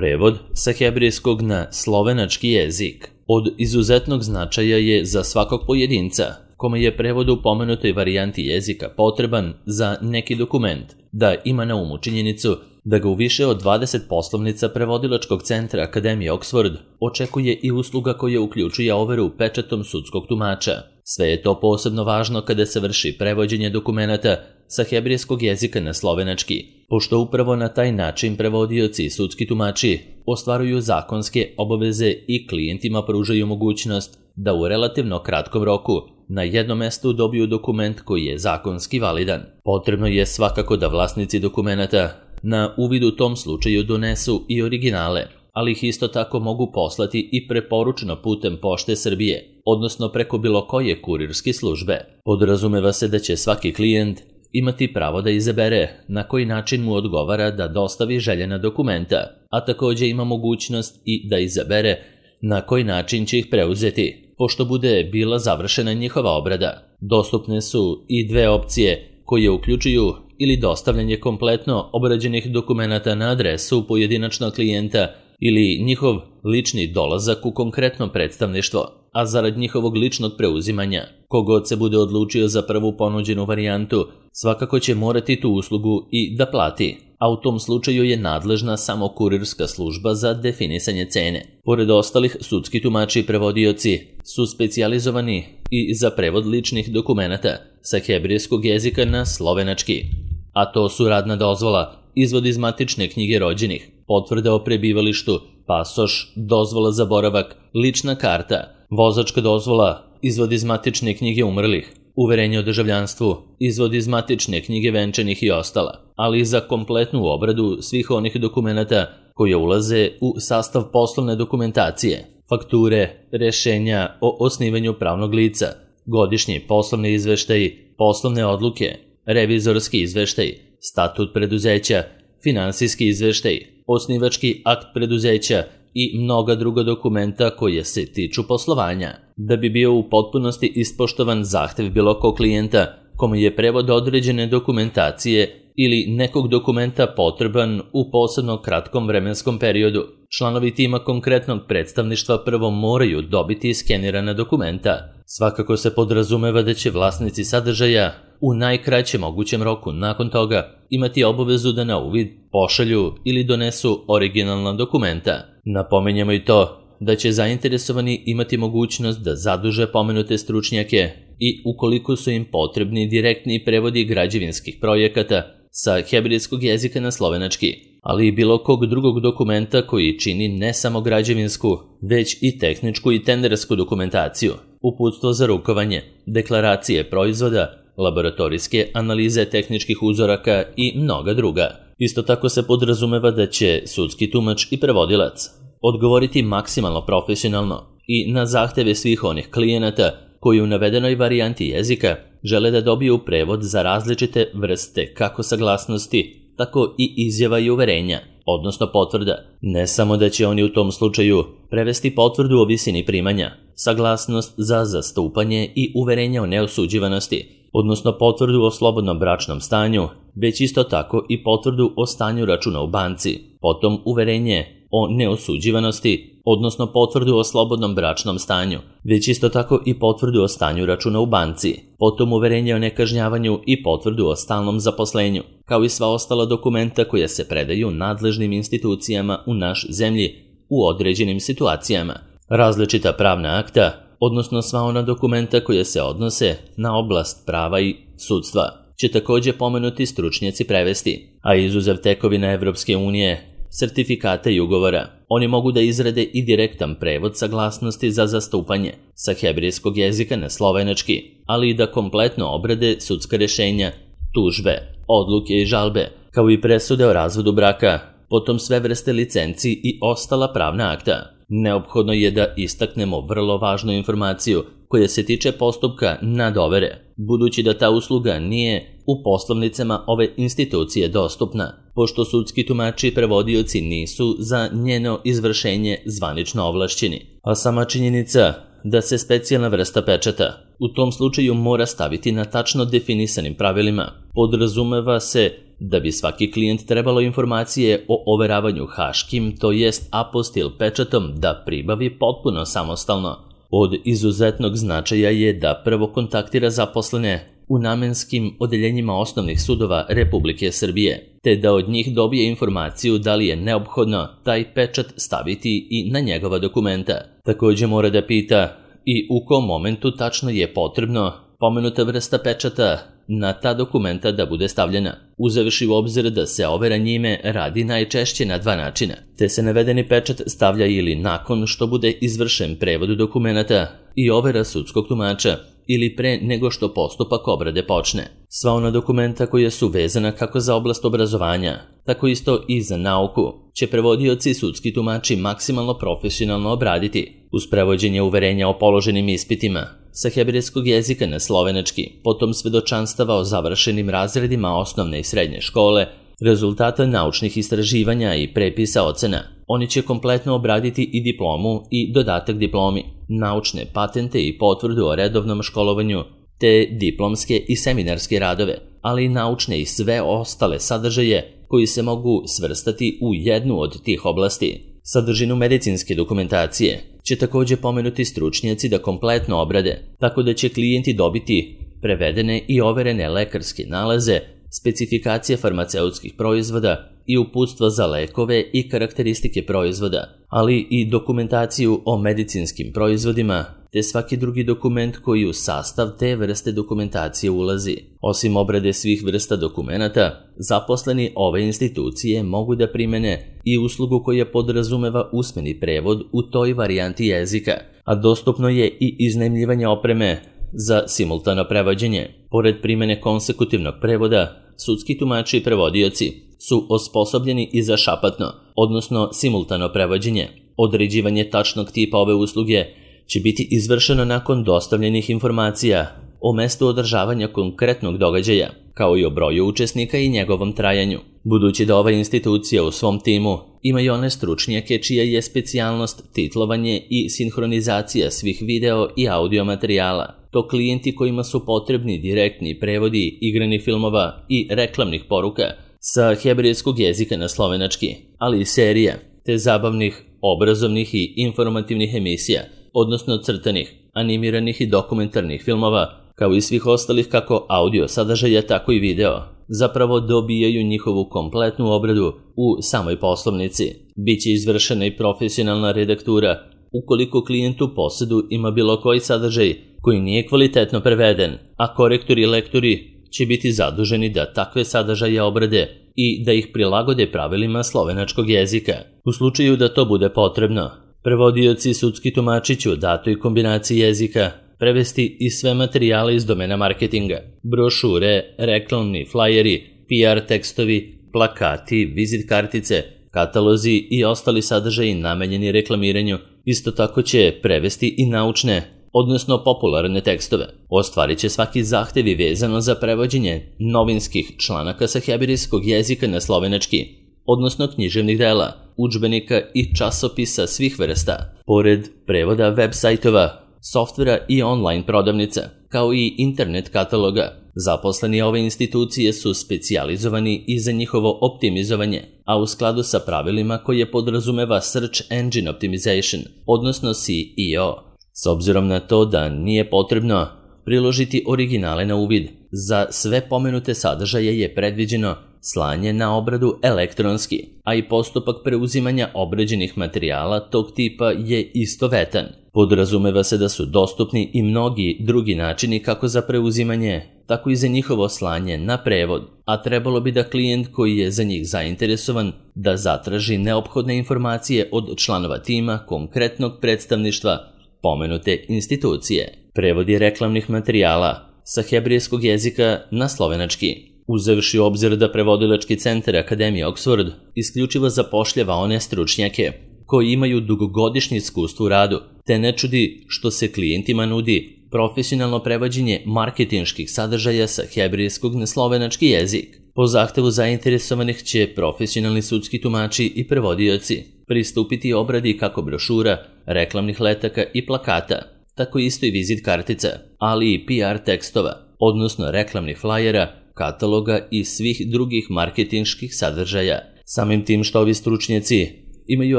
Prevod sa hebrejskog na slovenački jezik od izuzetnog značaja je za svakog pojedinca kome je prevod u pomenutoj varijanti jezika potreban za neki dokument, da ima na umu činjenicu da ga u više od 20 poslovnica prevodilačkog centra Akademije Oxford očekuje i usluga koja uključuje overu pečatom sudskog tumača. Sve je to posebno važno kada se vrši prevođenje dokumenata sa hebrejskog jezika na slovenački, pošto upravo na taj način prevodioci i sudski tumači ostvaruju zakonske obaveze i klijentima pružaju mogućnost da u relativno kratkom roku na jednom mestu dobiju dokument koji je zakonski validan. Potrebno je svakako da vlasnici dokumenata na uvid u tom slučaju donesu i originale, ali ih isto tako mogu poslati i preporučeno putem Pošte Srbije, odnosno preko bilo koje kurirske službe. Podrazumeva se da će svaki klijent imati pravo da izabere na koji način mu odgovara da dostavi željena dokumenta, a također ima mogućnost i da izabere na koji način će ih preuzeti, pošto bude bila završena njihova obrada. Dostupne su i dve opcije koje uključuju ili dostavljanje kompletno obrađenih dokumenata na adresu pojedinačnog klijenta ili njihov lični dolazak u konkretno predstavništvo, a zarad njihovog ličnog preuzimanja, kogod se bude odlučio za prvu ponuđenu varijantu, svakako će morati tu uslugu i da plati, a u tom slučaju je nadležna samo kurirska služba za definisanje cene. Pored ostalih, sudski tumači i prevodioci su specijalizovani i za prevod ličnih dokumenata sa hebrejskog jezika na slovenački, a to su radna dozvola, izvod iz matične knjige rođenih, potvrda o prebivalištu, pasoš, dozvola za boravak, lična karta, vozačka dozvola, izvod iz matične knjige umrlih, uverenje o državljanstvu, izvod iz matične knjige venčanih i ostala, ali i za kompletnu obradu svih onih dokumenata koje ulaze u sastav poslovne dokumentacije, fakture, rešenja o osnivanju pravnog lica, godišnji poslovni izveštaji, poslovne odluke, revizorski izveštaj, statut preduzeća, finansijski izveštaj, osnivački akt preduzeća i mnoga druga dokumenta koje se tiču poslovanja. Da bi bio u potpunosti ispoštovan zahtev bilo kog klijenta kome je prevod određene dokumentacije ili nekog dokumenta potreban u posebno kratkom vremenskom periodu, članovi tima konkretnog predstavništva prvo moraju dobiti skenirana dokumenta. Svakako se podrazumeva da će vlasnici sadržaja u najkraćem mogućem roku nakon toga imati obavezu da na uvid pošalju ili donesu originalna dokumenta. Napominjemo i to da će zainteresovani imati mogućnost da zaduže pomenute stručnjake i ukoliko su im potrebni direktni prevodi građevinskih projekata sa hebrejskog jezika na slovenački, ali i bilo kog drugog dokumenta koji čini ne samo građevinsku, već i tehničku i tendersku dokumentaciju, uputstvo za rukovanje, deklaracije proizvoda, laboratorijske analize tehničkih uzoraka i mnoga druga. Isto tako se podrazumeva da će sudski tumač i prevodilac odgovoriti maksimalno profesionalno i na zahteve svih onih klijenata koji u navedenoj varijanti jezika žele da dobiju prevod za različite vrste kako saglasnosti, tako i izjava i uverenja, odnosno potvrda. Ne samo da će oni u tom slučaju prevesti potvrdu o visini primanja, saglasnost za zastupanje i uverenja o neosuđivanosti, odnosno potvrdu o slobodnom bračnom stanju, već isto tako i potvrdu o stanju računa u banci, potom uverenje o neosuđivanosti, odnosno potvrdu o slobodnom bračnom stanju, već isto tako i potvrdu o stanju računa u banci, potom uverenje o nekažnjavanju i potvrdu o stalnom zaposlenju, kao i sva ostala dokumenta koja se predaju nadležnim institucijama u naš zemlji u određenim situacijama. Različita pravna akta, odnosno sva ona dokumenta koja se odnose na oblast prava i sudstva, će također pomenuti stručnjaci prevesti, a izuzev tekovina Evropske unije, sertifikata i ugovora, oni mogu da izrade i direktan prevod saglasnosti za zastupanje sa hebrejskog jezika na slovenački, ali i da kompletno obrade sudska rešenja, tužbe, odluke i žalbe, kao i presude o razvodu braka, potom sve vrste licenci i ostala pravna akta. Neophodno je da istaknemo vrlo važnu informaciju koja se tiče postupka nadovere, budući da ta usluga nije u poslovnicama ove institucije dostupna, pošto sudski tumači i prevodioci nisu za njeno izvršenje zvanično ovlašćeni. A sama činjenica da se specijalna vrsta pečata u tom slučaju mora staviti na tačno definisanim pravilima. Podrazumeva se da bi svaki klijent trebalo informacije o overavanju haškim, to jest apostil pečatom, da pribavi potpuno samostalno. Od izuzetnog značaja je da prvo kontaktira zaposlene u namenskim odeljenjima osnovnih sudova Republike Srbije, te da od njih dobije informaciju da li je neophodno taj pečat staviti i na njegova dokumenta. Također mora da pita i u kom momentu tačno je potrebno pomenuta vrsta pečata na ta dokumenta da bude stavljena, uzevši u obzir da se overa njime radi najčešće na dva načina, te se navedeni pečat stavlja ili nakon što bude izvršen prevod dokumenta i overa sudskog tumača, ili pre nego što postupak obrade počne. Sva ona dokumenta koja su vezana kako za oblast obrazovanja, tako isto i za nauku, će prevodioci i sudski tumači maksimalno profesionalno obraditi, uz prevođenje uverenja o položenim ispitima sa hebrejskog jezika na slovenački, potom svedočanstava o završenim razredima osnovne i srednje škole, rezultata naučnih istraživanja i prepisa ocena. Oni će kompletno obraditi i diplomu i dodatak diplomi, naučne patente i potvrdu o redovnom školovanju, te diplomske i seminarske radove, ali i naučne i sve ostale sadržaje koji se mogu svrstati u jednu od tih oblasti. Sadržinu medicinske dokumentacije će također pomenuti stručnjaci da kompletno obrade, tako da će klijenti dobiti prevedene i overene lekarske nalaze, specifikacije farmaceutskih proizvoda i uputstva za lekove i karakteristike proizvoda, ali i dokumentaciju o medicinskim proizvodima, te svaki drugi dokument koji u sastav te vrste dokumentacije ulazi. Osim obrade svih vrsta dokumenata, zaposleni ove institucije mogu da primene i uslugu koja podrazumeva usmeni prevod u toj varijanti jezika, a dostupno je i iznajmljivanje opreme za simultano prevođenje. Pored primene konsekutivnog prevoda, sudski tumači i prevodioci su osposobljeni i za šapatno, odnosno simultano prevođenje. Određivanje tačnog tipa ove usluge će biti izvršeno nakon dostavljenih informacija o mestu održavanja konkretnog događaja, kao i o broju učesnika i njegovom trajanju. Budući da ova institucija u svom timu ima i one stručnjake čija je specijalnost titlovanje i sinhronizacija svih video i audio materijala, to klijenti kojima su potrebni direktni prevodi igranih filmova i reklamnih poruka sa hebrejskog jezika na slovenački, ali i serija, te zabavnih, obrazovnih i informativnih emisija, odnosno crtanih, animiranih i dokumentarnih filmova, kao i svih ostalih kako audio sadržaja, tako i video, zapravo dobijaju njihovu kompletnu obradu u samoj poslovnici. Biće izvršena i profesionalna redaktura ukoliko klijent u posjedu ima bilo koji sadržaj koji nije kvalitetno preveden, a korektori i lektori će biti zaduženi da takve sadržaje obrade i da ih prilagode pravilima slovenačkog jezika. U slučaju da to bude potrebno, prevodioci i sudski tumači će u datoj kombinaciji jezika prevesti i sve materijale iz domena marketinga, brošure, reklamni flajeri, PR tekstovi, plakati, vizit kartice, katalozi i ostali sadržaji namenjeni reklamiranju. Isto tako će prevesti i naučne, odnosno popularne tekstove. Ostvarit će svaki zahtevi vezano za prevođenje novinskih članaka sa hebrejskog jezika na slovenački, odnosno književnih dela, udžbenika i časopisa svih vrsta, pored prevoda web sajtova, softvera i online prodavnica, kao i internet kataloga. Zaposleni ove institucije su specijalizovani i za njihovo optimizovanje, a u skladu sa pravilima koje podrazumeva Search Engine Optimization, odnosno SEO. S obzirom na to da nije potrebno priložiti originale na uvid, za sve pomenute sadržaje je predviđeno slanje na obradu elektronski, a i postupak preuzimanja obrađenih materijala tog tipa je istovetan. Podrazumeva se da su dostupni i mnogi drugi načini kako za preuzimanje, tako i za njihovo slanje na prevod, a trebalo bi da klijent koji je za njih zainteresovan da zatraži neophodne informacije od članova tima konkretnog predstavništva pomenute institucije. Prevodi reklamnih materijala sa hebrejskog jezika na slovenački. Uzevši u obzir da prevodilački centar Akademije Oxford isključivo zapošljava one stručnjake koji imaju dugogodišnje iskustvo u radu, te ne čudi što se klijentima nudi profesionalno prevođenje marketinških sadržaja sa hebrejskog na slovenački jezik. Po zahtevu zainteresovanih će profesionalni sudski tumači i prevodioci pristupiti obradi kako brošura, reklamnih letaka i plakata, tako isto i vizit kartica, ali i PR tekstova, odnosno reklamnih flajera, kataloga i svih drugih marketinških sadržaja. Samim tim što ovi stručnjaci imaju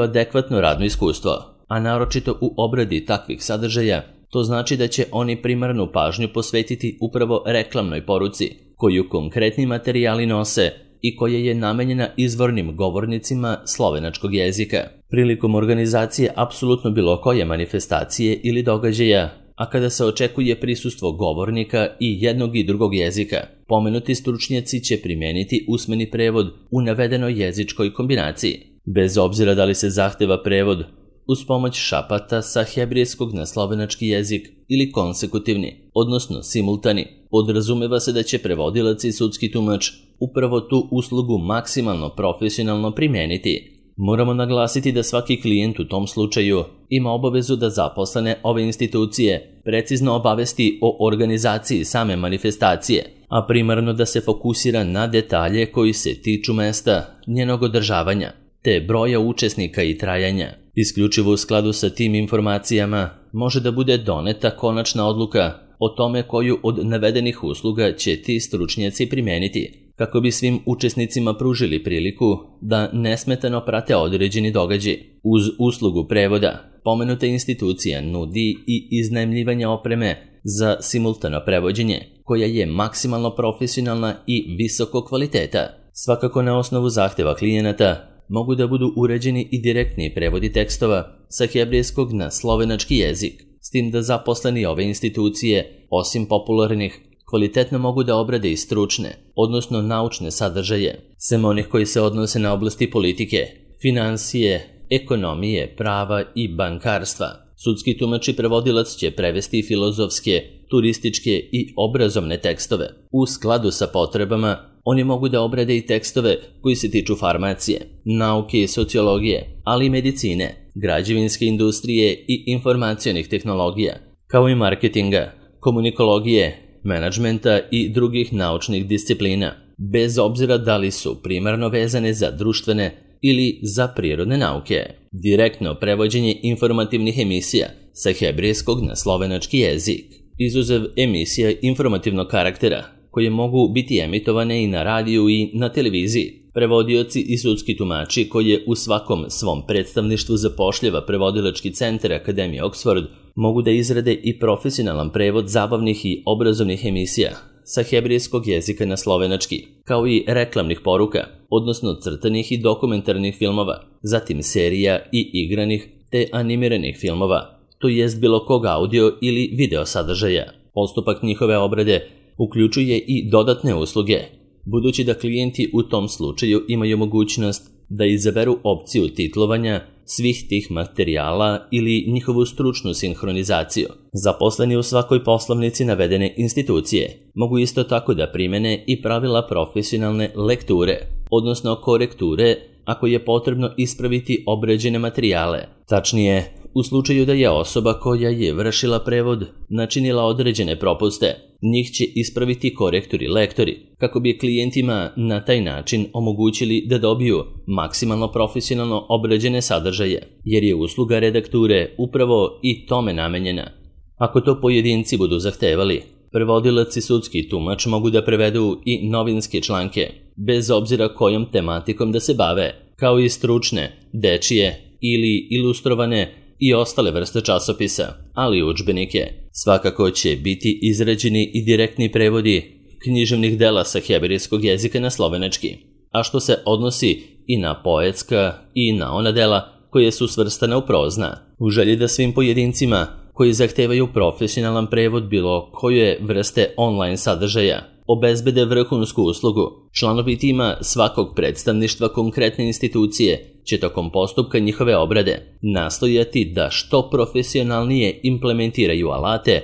adekvatno radno iskustvo, a naročito u obradi takvih sadržaja, to znači da će oni primarnu pažnju posvetiti upravo reklamnoj poruci, koju konkretni materijali nose i koja je namenjena izvornim govornicima slovenačkog jezika. Prilikom organizacije apsolutno bilo koje manifestacije ili događaja, a kada se očekuje prisustvo govornika i jednog i drugog jezika, pomenuti stručnjaci će primijeniti usmeni prevod u navedenoj jezičkoj kombinaciji, bez obzira da li se zahteva prevod uz pomoć šapata sa hebrejskog na slovenački jezik ili konsekutivni, odnosno simultani. Podrazumeva se da će prevodilac i sudski tumač upravo tu uslugu maksimalno profesionalno primijeniti. Moramo naglasiti da svaki klijent u tom slučaju ima obavezu da zaposlene ove institucije precizno obavesti o organizaciji same manifestacije, a primarno da se fokusira na detalje koji se tiču mesta, njenog održavanja, te broja učesnika i trajanja. Isključivo u skladu sa tim informacijama može da bude doneta konačna odluka o tome koju od navedenih usluga će ti stručnjaci primijeniti, kako bi svim učesnicima pružili priliku da nesmetano prate određeni događaj. Uz uslugu prevoda, pomenuta institucija nudi i iznajmljivanje opreme za simultano prevođenje, koja je maksimalno profesionalna i visokog kvaliteta. Svakako na osnovu zahteva klijenata mogu da budu uređeni i direktni prevodi tekstova sa hebrejskog na slovenački jezik, s tim da zaposleni ove institucije, osim popularnih, kvalitetno mogu da obrade i stručne, odnosno naučne sadržaje, sem onih koji se odnose na oblasti politike, finansije, ekonomije, prava i bankarstva. Sudski tumač i prevodilac će prevesti filozofske, turističke i obrazovne tekstove. U skladu sa potrebama, oni mogu da obrade i tekstove koji se tiču farmacije, nauke i sociologije, ali i medicine, građevinske industrije i informacionih tehnologija, kao i marketinga, komunikologije, menadžmenta i drugih naučnih disciplina, bez obzira da li su primarno vezane za društvene ili za prirodne nauke. Direktno prevođenje informativnih emisija sa hebrejskog na slovenački jezik, izuzev emisija informativnog karaktera, koje mogu biti emitovane i na radiju i na televiziji. Prevodioci i sudski tumači koje u svakom svom predstavništvu zapošljava prevodilački centar Akademije Oxford mogu da izrade i profesionalan prevod zabavnih i obrazovnih emisija sa hebrejskog jezika na slovenački, kao i reklamnih poruka, odnosno crtanih i dokumentarnih filmova, zatim serija i igranih te animiranih filmova, to jest bilo kog audio ili video sadržaja. Postupak njihove obrade uključuje i dodatne usluge, budući da klijenti u tom slučaju imaju mogućnost da izaberu opciju titlovanja svih tih materijala ili njihovu stručnu sinhronizaciju. Zaposleni u svakoj poslovnici navedene institucije mogu isto tako da primene i pravila profesionalne lekture, odnosno korekture ako je potrebno ispraviti obrađene materijale. Tačnije, u slučaju da je osoba koja je vršila prevod načinila određene propuste, njih će ispraviti korektori lektori, kako bi klijentima na taj način omogućili da dobiju maksimalno profesionalno obrađene sadržaje, jer je usluga redakture upravo i tome namenjena. Ako to pojedinci budu zahtevali, prevodilac i sudski tumač mogu da prevedu i novinske članke, bez obzira kojom tematikom da se bave, kao i stručne, dečije ili ilustrovane i ostale vrste časopisa, ali i udžbenike. Svakako će biti izrađeni i direktni prevodi književnih dela sa hebrejskog jezika na slovenački, a što se odnosi i na poetska i na ona dela koje su svrstane u prozna. U želji da svim pojedincima koji zahtevaju profesionalan prevod bilo koje vrste online sadržaja obezbede vrhunsku uslugu, članovi tima svakog predstavništva konkretne institucije će tokom postupka njihove obrade nastojati da što profesionalnije implementiraju alate,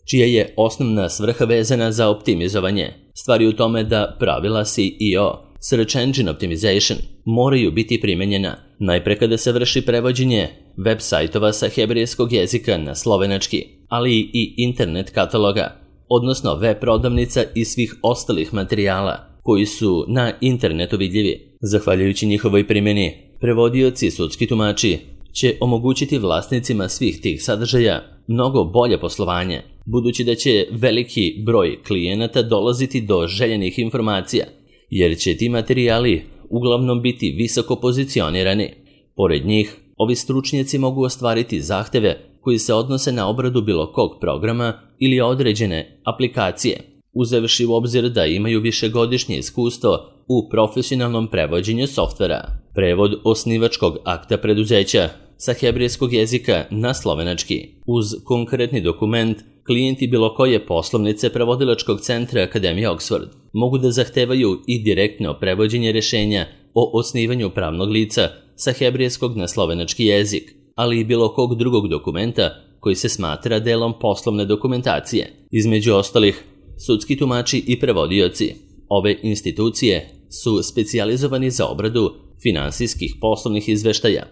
čija je osnovna svrha vezana za optimizovanje. Stvari u tome da pravila SEO, Search Engine Optimization, moraju biti primenjena najpre kada se vrši prevođenje web sajtova sa hebrejskog jezika na slovenački, ali i internet kataloga, odnosno web prodavnica i svih ostalih materijala koji su na internetu vidljivi. Zahvaljujući njihovoj primjeni, prevodioci i sudski tumači će omogućiti vlasnicima svih tih sadržaja mnogo bolje poslovanje, budući da će veliki broj klijenata dolaziti do željenih informacija, jer će ti materijali uglavnom biti visoko pozicionirani. Pored njih, ovi stručnjaci mogu ostvariti zahteve koji se odnose na obradu bilo kog programa ili određene aplikacije, uzevši u obzir da imaju višegodišnje iskustvo u profesionalnom prevođenju softvera. Prevod osnivačkog akta preduzeća sa hebrejskog jezika na slovenački. Uz konkretni dokument, klijenti bilo koje poslovnice prevodilačkog centra Akademije Oxford mogu da zahtevaju i direktno prevođenje rješenja o osnivanju pravnog lica sa hebrejskog na slovenački jezik, ali i bilo kog drugog dokumenta koji se smatra delom poslovne dokumentacije. Između ostalih, sudski tumači i prevodioci. Ove institucije su specijalizovani za obradu finansijskih poslovnih izveštaja,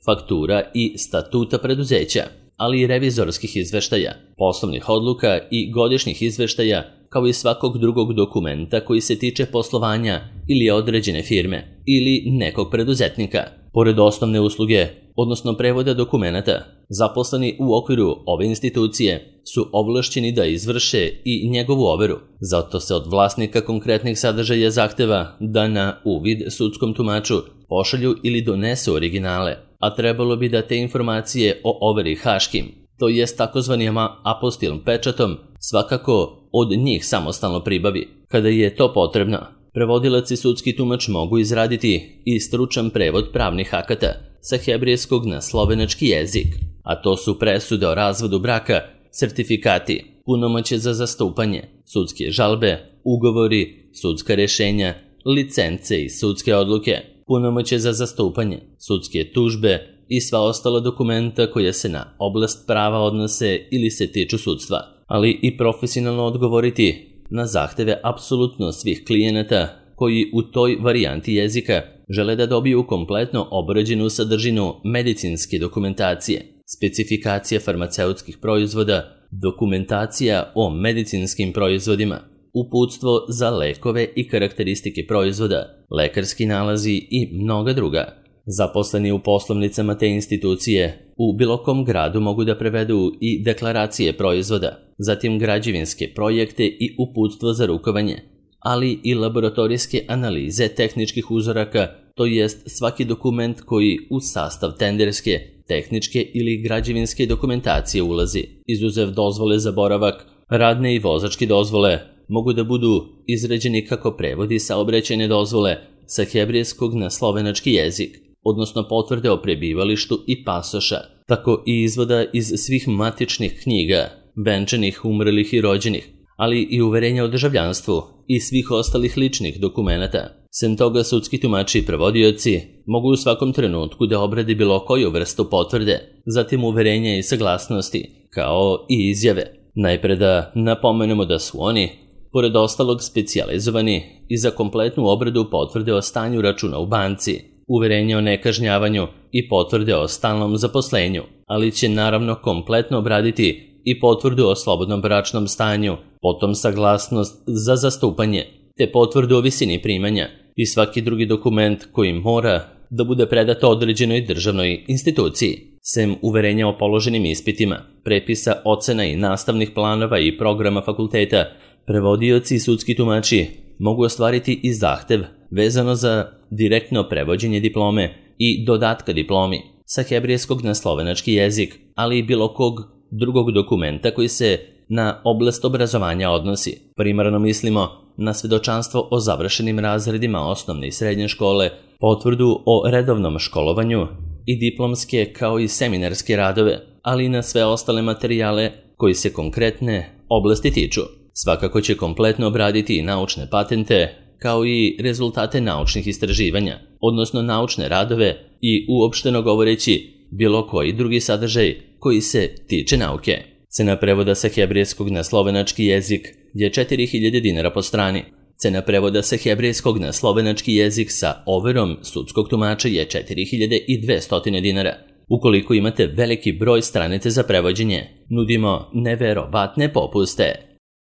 faktura i statuta preduzeća, ali i revizorskih izveštaja, poslovnih odluka i godišnjih izveštaja, kao i svakog drugog dokumenta koji se tiče poslovanja ili određene firme ili nekog preduzetnika. Pored osnovne usluge, odnosno prevoda dokumenata, zaposleni u okviru ove institucije su ovlašćeni da izvrše i njegovu overu. Zato se od vlasnika konkretnih sadržaja zahteva da na uvid sudskom tumaču pošalju ili donesu originale, a trebalo bi da te informacije o overi haškim, to jest takozvanim apostilnim pečatom, svakako od njih samostalno pribavi. Kada je to potrebno, prevodilac i sudski tumač mogu izraditi i stručan prevod pravnih akata sa hebrejskog na slovenački jezik, a to su presude o razvodu braka, sertifikati, punomoćje za zastupanje, sudske žalbe, ugovori, sudska rješenja, licence i sudske odluke, punomoćje za zastupanje, sudske tužbe i sva ostala dokumenta koja se na oblast prava odnose ili se tiču sudstva, ali i profesionalno odgovoriti na zahteve apsolutno svih klijenata koji u toj varijanti jezika žele da dobiju kompletno obrađenu sadržinu medicinske dokumentacije, specifikacije farmaceutskih proizvoda, dokumentacija o medicinskim proizvodima, uputstvo za lekove i karakteristike proizvoda, lekarski nalazi i mnoga druga. Zaposleni u poslovnicama te institucije u bilo kom gradu mogu da prevedu i deklaracije proizvoda, zatim građevinske projekte i uputstvo za rukovanje, ali i laboratorijske analize tehničkih uzoraka, to jest svaki dokument koji u sastav tenderske, tehničke ili građevinske dokumentacije ulazi. Izuzev dozvole za boravak, radne i vozačke dozvole mogu da budu izrađeni kako prevodi saobraćajne dozvole sa hebrejskog na slovenački jezik, odnosno potvrde o prebivalištu i pasoša, tako i izvoda iz svih matičnih knjiga, venčanih, umrlih i rođenih, ali i uverenja o državljanstvu i svih ostalih ličnih dokumenata. Sem toga, sudski tumači i prevodioci mogu u svakom trenutku da obrade bilo koju vrstu potvrde, zatim uverenja i saglasnosti, kao i izjave. Najpre da napomenemo da su oni, pored ostalog, specijalizovani i za kompletnu obradu potvrde o stanju računa u banci, uverenje o nekažnjavanju i potvrde o stalnom zaposlenju, ali će naravno kompletno obraditi i potvrdu o slobodnom bračnom stanju, potom saglasnost za zastupanje, te potvrdu o visini primanja i svaki drugi dokument koji mora da bude predat određenoj državnoj instituciji. Sem uverenja o položenim ispitima, prepisa, ocena i nastavnih planova i programa fakulteta, prevodioci i sudski tumači mogu ostvariti i zahtev vezano za direktno prevođenje diplome i dodatka diplomi sa hebrejskog na slovenački jezik, ali i bilo kog drugog dokumenta koji se na oblast obrazovanja odnosi. Primarno mislimo na svedočanstvo o završenim razredima osnovne i srednje škole, potvrdu o redovnom školovanju i diplomske kao i seminarske radove, ali i na sve ostale materijale koji se konkretne oblasti tiču. Svakako će kompletno obraditi i naučne patente, kao i rezultate naučnih istraživanja, odnosno naučne radove i uopšteno govoreći bilo koji drugi sadržaj koji se tiče nauke. Cena prevoda sa hebrejskog na slovenački jezik je 4000 dinara po strani. Cena prevoda sa hebrejskog na slovenački jezik sa overom sudskog tumača je 4200 dinara. Ukoliko imate veliki broj stranice za prevođenje, nudimo neverovatne popuste.